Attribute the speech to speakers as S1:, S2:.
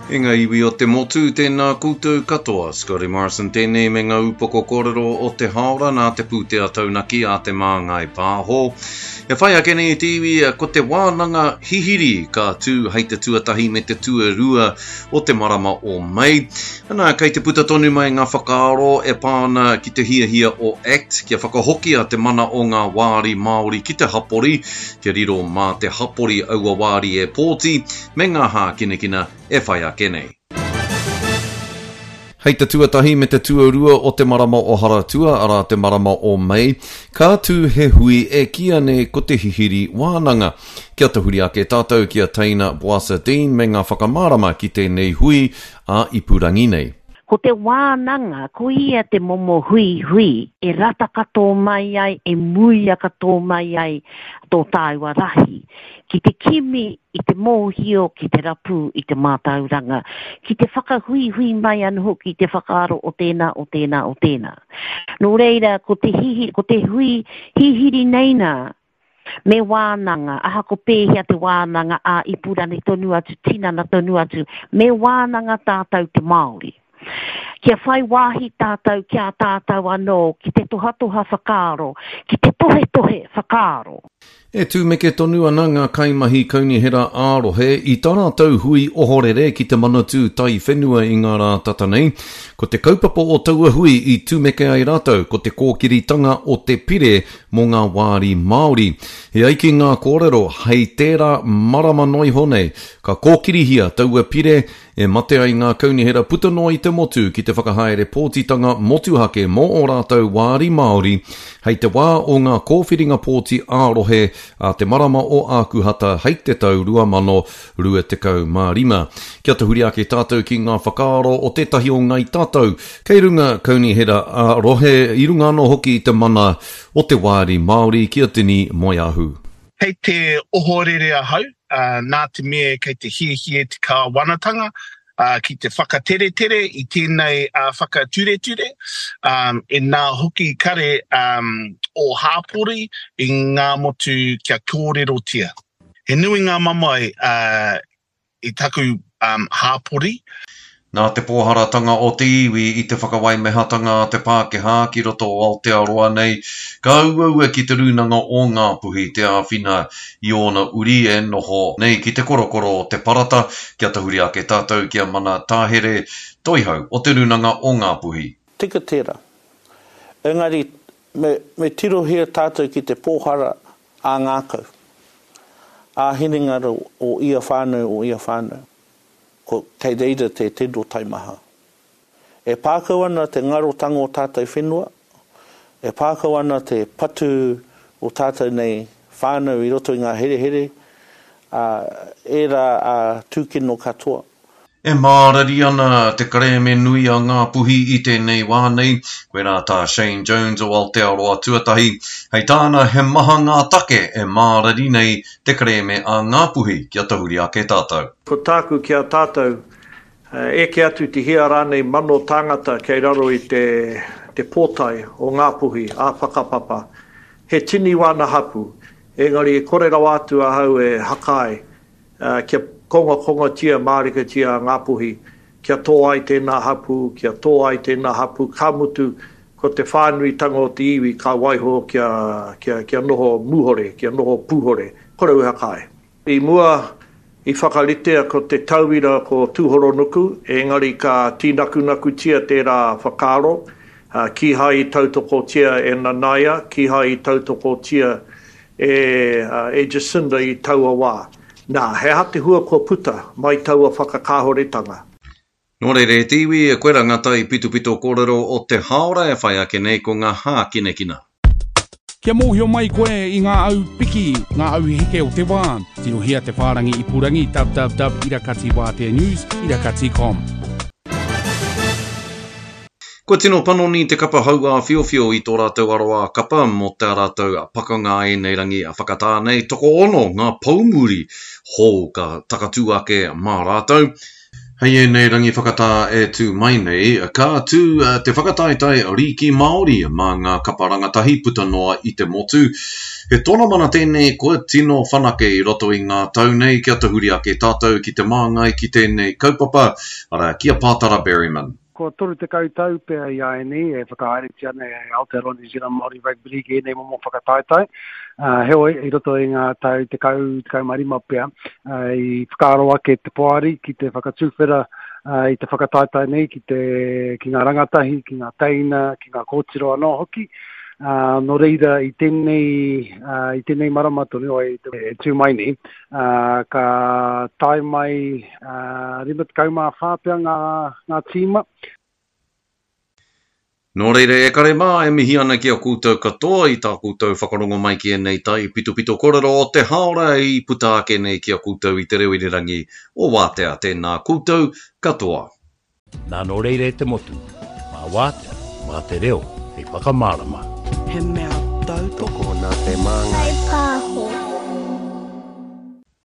S1: E ngā iwi o te motu, tēnā koutou katoa. Scotty Morrison tēnei me ngā upoko kōrero o te hāora nā te pūtea taunaki a Te Māngai Pāho. E whai ake nei te iwi ko te wānanga hihiri ka tū hei te tuatahi me te tuarua o te marama o Mei. Ana, kei te puta tonu mai ngā whakaaro e pā ana ki te hiahia o act kia whakahokia te mana o ngā wāri Māori ki te hapori, kia riro mā te hapori aua wāri e pōti, me ngā hākinakina e whai ake nei. Hei te tuatahi me te tuarua o te marama o Haratua, arā te marama o Mei, ka tū he hui e kīia nei ko te Hihiri Wānanga. Kia tahuri ake tātou ki a Teina Boasa-Dean me ngā whakamārama ki tēnei hui ā-ipurangi nei.
S2: Ko te wānanga, ko ia te momo huihui e rata katoa mai ai, e muia katoa mai ai tō tāua rahi, ki te kimi i te mōhio, ki te rapu i te mātauranga, ki te whakahuihui mai anō hoki i te whakaaro o tēnā, o tēnā, o tēnā. Nō reira, ko te hihi, ko te hui hihiri nei nā, Me wānanga, ahako pēhea te wānanga ā-ipurangi tonu atu, tinana tonu atu, me wānanga tātou te Māori. Kia whai wāhi tātou ki a tātou anō ki te tohatoha whakaaro, ki te tohetohe whakaaro.
S1: E tumeke tonu ana ngā kaimahi kaunihera ā-rohe i tā rātou hui ohorere ki te Manatū Taiwhenua i ngā rā tata nei. Ko te kaupapa o taua hui i tumeke ai rātou ko te kōkiritanga o te pire mō ngā wāri Māori. E ai ki ngā kōrero, hei tērā marama noa iho nei, ka kōkirihia taua pire e mate ai ngā kaunihera puta noa i te motu ki te whakahaere pōtitanga motuhake mō ō rātou wāri Māori hei te wā o ngā kōwhiringa pōti ā-rohe a te marama o Ākuhata hei te tau 2025. Kia tahuri ake tātou ki ngā whakaaro o tētahi o Ngāi Tātou kei runga kaunihera ā-rohe, i runga anō hoki i te mana o te wāri Māori ki a Tini Moeahu.
S3: Kei te ohorere ahau, nā te mea kei te hiahia te kāwanatanga ki te whakateretere i tēnei whakatureture, inā hoki kare ō hāpori i ngā motu kia kōrerotia. He nui ngā mamae i taku hāpori.
S1: Nā te pōharatanga o te iwi i te whakawaimehatanga a te Pākehā ki roto o Aotearoa nei, ka uaua ki te Rūnanga o Ngāpuhi te āwhina i ōna uri e noho nei ki te korokoro o te parata, kia tahuri ake tātou ki a Mana Tāhere, Toihau o te Rūnanga o Ngāpuhi.
S4: Tika tērā. Engari, me, me tirohia tātou ki te pōhara ā-ngākau, ā-hinengaro o ia whānau, o ia whānau. Ko, kei reira te tino taimaha. E pākau ana te ngarotanga o tātou whenua, e pākau ana te patu o tātou nei whānau i roto i ngā herehere, ā, ērā ā tūkino katoa.
S1: E mārari ana te kerēme nui a Ngāpuhi i tēnei wā nei, koirā tā Shane Jones o Aotearoa Tuatahi. Hei tāna he maha ngā take e mārari nei te kerēme a Ngāpuhi kia tahuri ake tātou.
S5: Ko tāku ki a tātou, eke atu te hia rānei mano tāngata kei raro i te te pōtae o Ngāpuhi ā-whakapapa. He tini wāna hapū, engari e kore rawa atu ahau e hakaae kia kongakongatia mārikatia a Ngāpuhi, kia tō ai tēnā hapū, kia tō ai tēnā hapū, ka mutu, ko te whānuitanga o te iwi ka waiho kia, kia, kia noho mūhore, kia noho pūhore, kore au e whakaae. I mua, i whakaritea ko te tauira ko Tūhoronuku, engari ka tīnakunakutia tērā whakaaro, kīhai i tautokotia e Nanaia, kīhai i tautokotia e, e Jacinda i taua wā. Nā, he aha te hua kua puta mai taua whakakāhoretanga?
S1: Nō reira e te iwi, koirā ngā taipitopito kōrero o te hāora e whai ake nei ko ngā hākinakina.
S6: Kia mōhio mai koe i ngā au piki, ngā au heke o te wā, tirohia te whārangi ipurangi www irakati wātea news irakati com.
S1: Kua tino panoni te kapa hauāwhiowhio i tō rātou aroā kapa mō tā rātou pakanga ēnei rangi whakatā nei, tokoono ngā poumuri hou ka takatū ake mā rātou. Hei ēnei rangi whakatā e tū mai nei, ka tū te whakataetae Rīki Māori mā ngā kapa rangatahi puta noa i te motu. He tonamana tēnei kua tino whanake i roto i ngā tau nei kia tahuri ake tātou ki te māngai ki tēnei kaupapa, arā, ki a Pātara Berryman.
S7: Kua 30 tau pea i āianei e whakahaeretia ana e Aotearoa New Zealand Māori Rugby League ēnei momo whakataetae. Heoi, i roto i ngā tau 10, 15 pea, i whakaaro ake te poari ki te whakatuwhera i te whakataetae nei ki te, ki ngā rangatahi, ki ngā teina, ki ngā kōtiro anō hoki. Nō reira, i tēnei, i tēnei marama tonu, e tū mai nei, ka tae mai 54 pea ngā, ngā tīma.
S1: Nō reira, e kare mā, e mihi ana ki a koutou katoa i tā koutou whakarongo mai ki ēnei taipitopito korero o te haora i puta ake nei ki a koutou i te reo irirangi o Wātea. Tēnā koutou katoa.
S8: Nā nō reira e te motu, mā Wātea, mā te reo hei whakamārama.
S9: He mea tautoko.
S10: Tokona te māngai.